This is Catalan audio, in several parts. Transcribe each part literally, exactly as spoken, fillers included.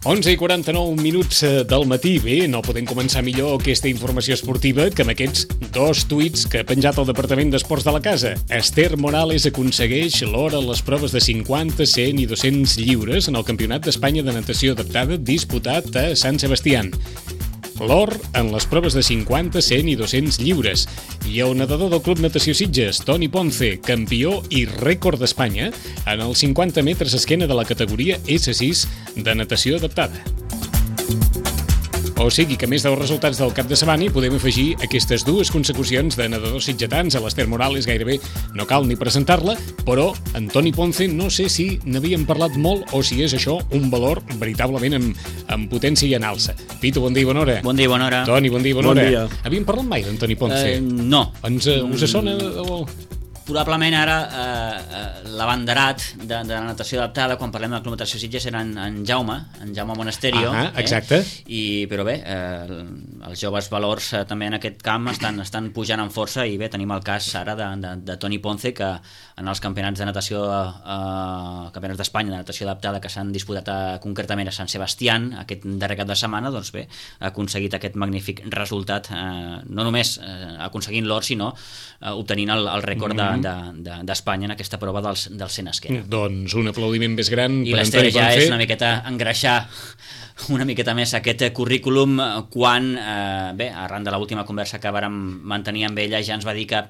onze i quaranta-nou minuts del matí. Bé, no podem començar millor aquesta informació esportiva que amb aquests dos tuits que ha penjat el Departament d'Esports de la casa. Esther Morales aconsegueix l'or a les proves de cinquanta, cent i dos-cents lliures en el Campionat d'Espanya de natació adaptada disputat a Sant Sebastián. L'or en les proves de cinquanta, cent i dos-cents lliures. I el nedador del Club Natació Sitges, Toni Ponce, campió i rècord d'Espanya en els cinquanta metres esquena de la categoria esse sis de natació adaptada. O sigui que, a més dels resultats del cap de setmana, hi podem afegir aquestes dues consecucions de nedadors sitgetans. A l'Esther Morales gairebé no cal ni presentar-la, però en Toni Ponce no sé si n'havíem parlat molt o si és això un valor veritablement en, en potència i en alça. Pitu, bon dia i bona hora. Bon dia i bona hora. Toni, bon dia i bona bon hora. Dia. Havíem parlat mai d'en Toni Ponce? Eh, no. Ens, uh, us sona? O... Probablement ara eh, l'abanderat de, de la natació adaptada, quan parlem de la Club Natació Sitges, era en, en Jaume, en Jaume Monasterio. Ah, exacte. Eh? I, però bé, eh, els joves valors eh, també en aquest camp estan, estan pujant en força i bé, tenim el cas ara de, de, de Toni Ponce, que en els campionats de natació, eh, campionats d'Espanya de natació adaptada que s'han disputat a, concretament a Sant Sebastián aquest darrer cap de setmana, doncs bé, ha aconseguit aquest magnífic resultat, eh, no només eh, aconseguint l'or, sinó eh, obtenint el, el rècord de d'Espanya de, de, en aquesta prova dels, dels cent esquena. Doncs un aplaudiment més gran I per l'Esther ja Ponce. És una miqueta engreixar una miqueta més aquest currículum quan, eh, bé, arran de l'última conversa que vàrem mantenir amb ella, ja ens va dir que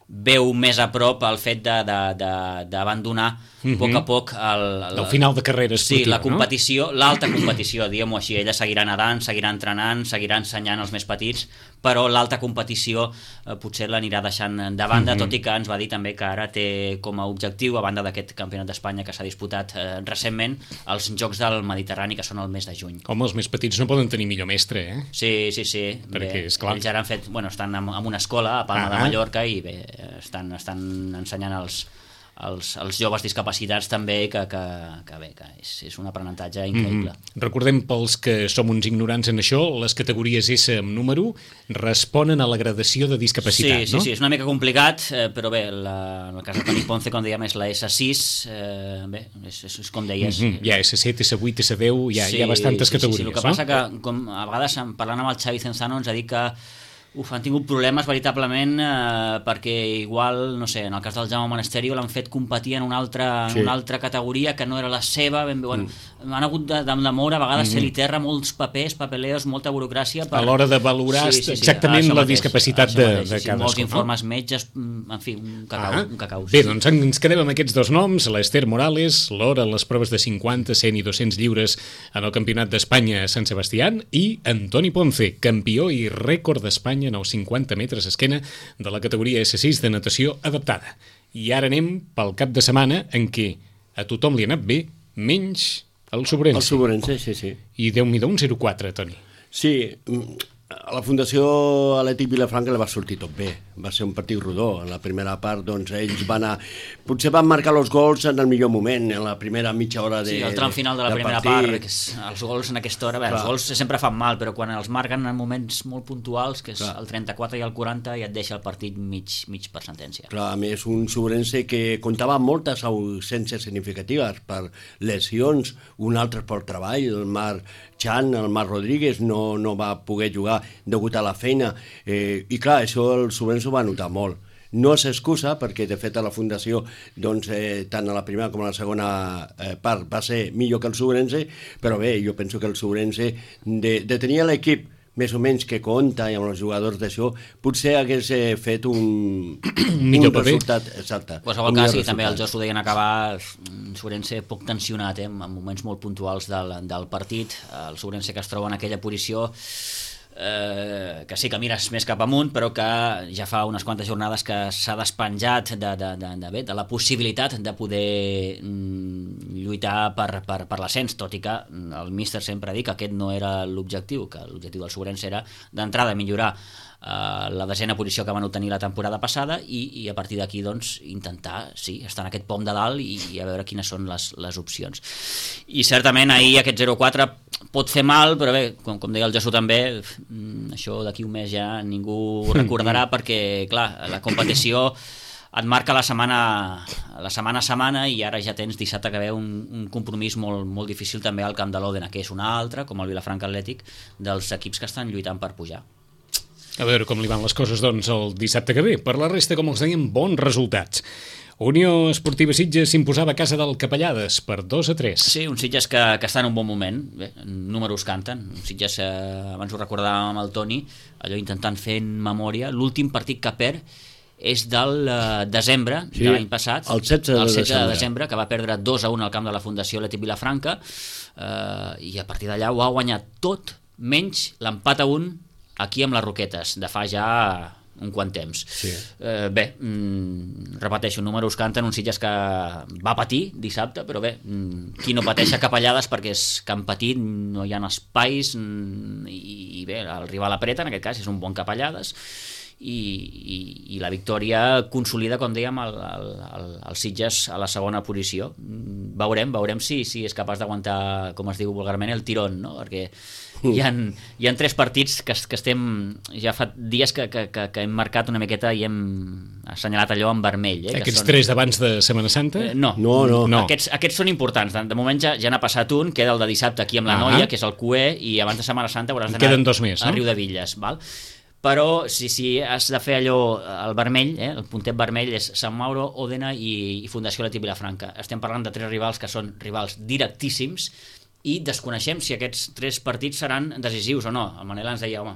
veu més a prop el fet d'abandonar a uh-huh. poc a poc el, el, el final de carrera esportiva, sí, la competició, no? L'alta competició, diguem-ho així. Ella seguirà nedant, seguirà entrenant, seguirà ensenyant als més petits, però l'alta competició eh, potser l'anirà deixant de banda, uh-huh. tot i que ens va dir també que ara té com a objectiu, a banda d'aquest campionat d'Espanya que s'ha disputat eh, recentment, els Jocs del Mediterrani, que són el mes de juny. Home, els més petits no poden tenir millor mestre, eh? Sí, sí, sí. Perquè, bé, esclar... ells ara han fet, bueno, estan en, en una escola a Palma ah, de Mallorca i bé, estan, estan ensenyant els, els, els joves discapacitats també, que, que, que bé, que és, és un aprenentatge increïble. Mm-hmm. Recordem, pels que som uns ignorants en això, les categories S amb número responen a la gradació de discapacitat, sí, sí, no? Sí, sí, és una mica complicat, eh, però bé, la, en el cas de Toni Ponce, com dèiem, és la esse sis, eh, bé, és, és, és com deies... Mm-hmm. Hi ha esse set, esse vuit, esse deu, hi ha, sí, hi ha bastantes sí, categories, sí, sí. El que no? passa que, com a vegades, parlant amb el Xavi Cenzano, ens ha dit que Uf, han tingut problemes veritablement eh, perquè igual, no sé, en el cas del Jaume Monasterio l'han fet competir en una altra, sí. en una altra categoria que no era la seva, ben bé, bueno, mm. han hagut de, de, de moure a vegades mm. ser-li terra molts papers, papeleos, molta burocràcia per... a l'hora de valorar sí, sí, sí, exactament la mateix, discapacitat de, de sí, cadascú. Molts informes, no? Metges, en fi, un cacau. Ah. Un cacau Bé, sí. doncs ens quedem amb aquests dos noms, l'Esther Morales, l'or a les proves de cinquanta, cent i dos-cents lliures en el Campionat d'Espanya a Sant Sebastián, i Toni Ponce, campió i rècord d'Espanya en els cinquanta metres esquena de la categoria esse sis de natació adaptada. I ara anem pel cap de setmana en què a tothom li ha anat bé, menys el Sobrense. El Sobrense, sí, sí. I Déu-n'hi-do un zero quatre, Toni. Sí, a la Fundació Atlètic Vilafranca li va sortir tot bé. Va ser un partit rodó. En la primera part, doncs, ells van a... Potser van marcar els gols en el millor moment, en la primera mitja hora de... Sí, el tram final de la de primera partit. part, que és, els gols en aquesta hora, bé, els gols sempre fan mal, però quan els marquen en moments molt puntuals, que és Clar. el trenta-quatre i el quaranta, ja et deixa el partit mig, mig per sentència. Clar, a més, un Sobrense que comptava amb moltes ausències significatives per lesions, un altre per treball, el Marc Chan, el Marc Rodríguez, no, no va poder jugar degut a la feina, eh, i clar, això el Sobrense ho va notar molt. No s'excusa, perquè de fet a la Fundació, doncs, eh, tant a la primera com a la segona eh, part va ser millor que el Sobrense, però bé, jo penso que el Sobrense, de, de tenir l'equip més o menys que compta i amb els jugadors d'això, potser hagués eh, fet un, un resultat exacte. En qualsevol cas, i també els jocs ho deien acabar, el Sobrense poc tensionat, eh, en moments molt puntuals del, del partit, el Sobrense que es troba en aquella posició Eh, que sí que mires més cap amunt, però que ja fa unes quantes jornades que s'ha despenjat de, de, de, de, bé, de la possibilitat de poder mm, lluitar per, per, per l'ascens, tot i que el míster sempre ha dit que aquest no era l'objectiu, que l'objectiu del Sobrense era d'entrada millorar Uh, la desena posició que van obtenir la temporada passada i, i a partir d'aquí doncs intentar, sí, estar en aquest pom de dalt i, i a veure quines són les, les opcions. I certament ahir aquest zero quatre pot fer mal, però bé, com, com deia el Jesús també, això d'aquí un mes ja ningú recordarà perquè, clar, la competició et marca la setmana, la setmana a setmana, i ara ja tens dissabte que ve un, un compromís molt, molt difícil també al camp de l'Òdena, que és una altra, com el Vilafranca Atlètic, dels equips que estan lluitant per pujar. A veure com li van les coses, doncs, el dissabte que ve. Per la resta, com els dèiem, bons resultats. Unió Esportiva Sitges s'imposava a casa del Capellades per dos a tres. Sí, un Sitges que, que està en un bon moment. Bé, números canten. Un Sitges, eh, abans ho recordàvem amb el Toni, allò intentant fer en memòria. L'últim partit que perd és del eh, desembre sí, de l'any passat, el setze de, el setze de desembre. desembre, que va perdre dos a un al camp de la Fundació Atlètic Vilafranca, eh, i a partir d'allà ho ha guanyat tot, menys l'empat a un aquí amb les Roquetes, de fa ja un quant temps. Sí. Eh, bé, mm, repeteixo, números canten, un Sitges que va patir dissabte, però bé, mm, qui no pateix a Capellades perquè és camp petit, no hi ha espais, mm, i, i bé, el rival apreta, en aquest cas és un bon Capellades, i, i, i la victòria consolida, com dèiem, el, el, el, el Sitges a la segona posició. Veurem, veurem si, si és capaç d'aguantar, com es diu vulgarment, el tirón, no? Perquè hi ha, hi ha tres partits que, que estem, ja fa dies que, que, que, que hem marcat una miqueta i hem assenyalat allò en vermell. Eh, Aquests són... tres d'abans de Setmana Santa? Eh, no, no, no. no. Aquests, aquests són importants. De, de moment ja, ja n'ha passat un, queda el de dissabte aquí amb la ah. Noia, que és el Q E, i abans de Setmana Santa hauràs d'anar queden dos més, no? a Riudevilles, val? Però si, si has de fer allò, el vermell, eh, el puntet vermell és Sant Mauro, Òdena i, i Fundació Atlètic Vilafranca. Estem parlant de tres rivals que són rivals directíssims, i desconeixem si aquests tres partits seran decisius o no. El Manel ens deia, home,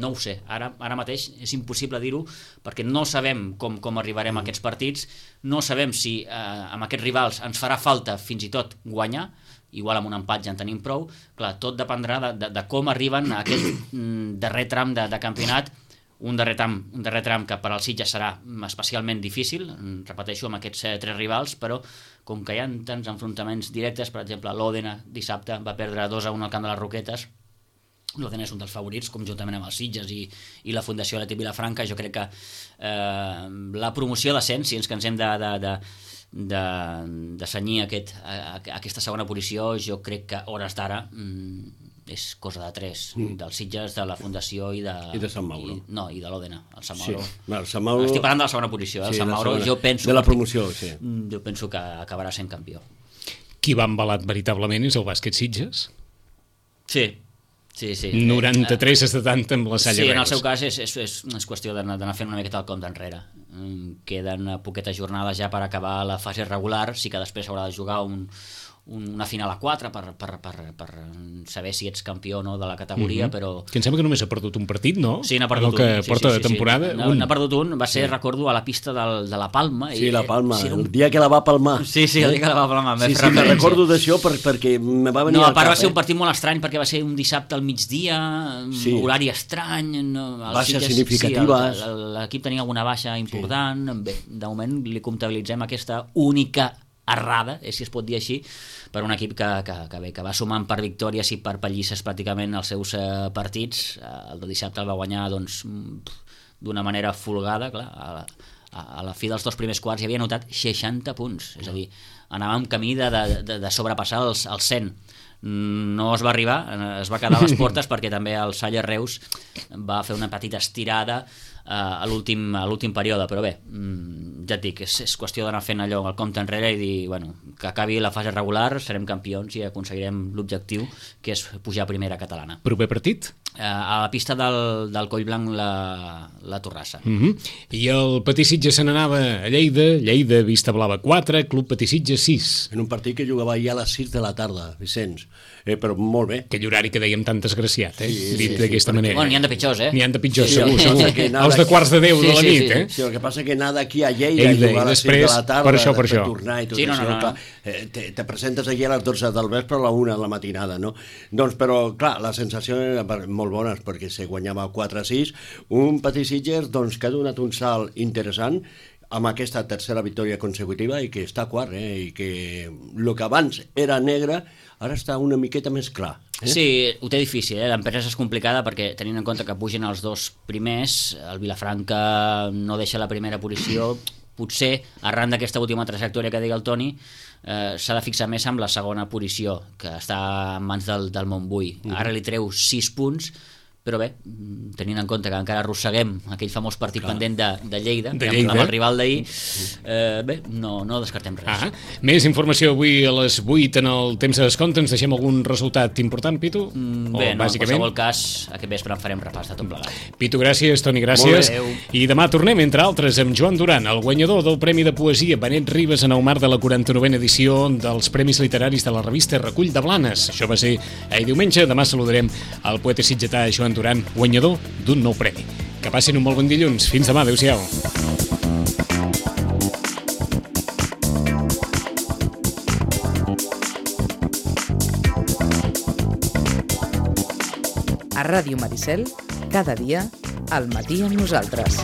no ho sé, ara, ara mateix és impossible dir-ho, perquè no sabem com, com arribarem a aquests partits, no sabem si eh, amb aquests rivals ens farà falta fins i tot guanyar, igual amb un empat ja en tenim prou. Clar, tot dependrà de, de, de com arriben a aquest mm, darrer tram de, de campionat, un darrer tram, un darrer tram que per al Sitges serà especialment difícil, repeteixo, amb aquests eh, tres rivals, però com que hi ha tants enfrontaments directes, per exemple, l'Òdena dissabte va perdre dos a un al camp de les Roquetes, l'Òdena és un dels favorits, conjuntament amb els Sitges i, i la Fundació Atlètic Vilafranca. Jo crec que eh, la promoció d'ascens, si ens cansem de, de, de, de, de senyir aquest, a, a, aquesta segona posició, jo crec que a hores d'ara mm, és cosa de tres, mm. dels Sitges, de la Fundació i de... I de Sant Mauro. I, no, i de l'Òdena. El Sant Mauro. Sí. El Sant Mauro... Estic parlant de la segona posició, eh? Sí, el Sant Mauro, segona. jo penso... De la promoció, sí. Jo penso que acabarà sent campió. Qui va embalat veritablement és el bàsquet Sitges. Sí, sí, sí. noranta-tres a setanta amb la Salle Sí, Reus. en el seu cas és, és, és, és qüestió d'anar fent una miqueta el compte enrere. Queden poquetes jornades ja per acabar la fase regular, sí que després haurà de jugar un... una final a quatre per, per, per, per saber si ets campió o no de la categoria, mm-hmm. però... Que em sembla que només ha perdut un partit, no? Sí, n'ha perdut el que un. Sí, porta sí, sí, de temporada, sí. un. N'ha perdut un, va ser, sí. recordo, a la pista del, de la Palma. Sí, i, la Palma, sí, un... el dia que la va palmar. Sí, sí, el dia que la va palmar. Sí, sí, me recordo d'això per, perquè me va venir no, al a part cap, va ser eh? un partit molt estrany, perquè va ser un dissabte al migdia, sí. horari estrany... No, baixes Sitges, significatives. Sí, l'equip tenia alguna baixa important. Sí. Bé, de moment li comptabilitzem aquesta única errada, eh, si es pot dir així, per un equip que, que, que, bé, que va sumant per victòries i per pallisses pràcticament els seus eh, partits. El de dissabte el va guanyar doncs, d'una manera folgada, clar, a la, a la fi dels dos primers quarts hi havia anotat seixanta punts, és a dir, anàvem camí de, de, de sobrepassar els, els cent. No es va arribar, es va quedar a les portes perquè també el Salle Reus va fer una petita estirada a l'últim a l'últim període, però bé, ja et dic, és, és qüestió d'anar fent allò el compte enrere i dir, bueno, que acabi la fase regular, serem campions i aconseguirem l'objectiu, que és pujar a primera catalana. Proper partit? A la pista del, del Collblanc la, la Torrassa. Mm-hmm. I el Patí Sitges se n'anava a Lleida, Lleida Vista Blava quatre, Club Patí Sitges sis. En un partit que jugava ja a les sis de la tarda, Vicenç, eh, però molt bé. Aquell horari que dèiem tan desgraciat, eh? Sí, dit sí, d'aquesta sí, manera. Bueno, n'hi ha de pitjors, eh? N'hi ha de pitjors, sí, segur, sí, segur. sí, Els de quarts de deu sí, de la sí, nit, sí, eh? Sí, el que passa que anar d'aquí a Lleida, Lleida i jugar a les després, sis de la tarda, per això, per això. tornar i tot Sí, no, això, no, no. clar, eh, te, te presentes aquí a les dotze del vespre a la una de la matinada, no? Doncs, però, clar, la sensació era molt bona, perquè se guanyava quatre a sis, un Patí Sitges, doncs, que ha donat un salt interessant amb aquesta tercera victòria consecutiva i que està quart, eh? I que el que abans era negre ara està una miqueta més clar. Eh? Sí, ho té difícil, eh? L'empresa és complicada perquè tenint en compte que pugen els dos primers, el Vilafranca no deixa la primera posició, potser arran d'aquesta última trajectòria que digui el Toni eh, s'ha de fixar més amb la segona posició, que està en mans del, del Montbui. Uh-huh. Ara li treu sis punts, però bé, tenint en compte que encara arrosseguem aquell famós partit Clar. pendent de, de Lleida, de Lleida. amb el rival d'ahir, eh, bé, no, no descartem res. Ah, més informació avui a les vuit en el temps de descompte. Ens deixem algun resultat important, Pitu? Mm, bé, o, no, bàsicament... en qualsevol cas, aquest vespre en farem repàs de tot plegat. Pitu, gràcies. Toni, gràcies. I demà tornem, entre altres, amb Joan Duran, el guanyador del Premi de Poesia Benet Ribes en el marc de la quaranta-novena edició dels Premis Literaris de la revista Recull de Blanes. Això va ser ahir diumenge. Demà saludarem el poeta sitgetà Joan Duran, guanyador d'un nou premi. Que passin un molt bon dilluns. Fins demà. Adéu-siau. A Ràdio Maricel, cada dia, al matí amb nosaltres.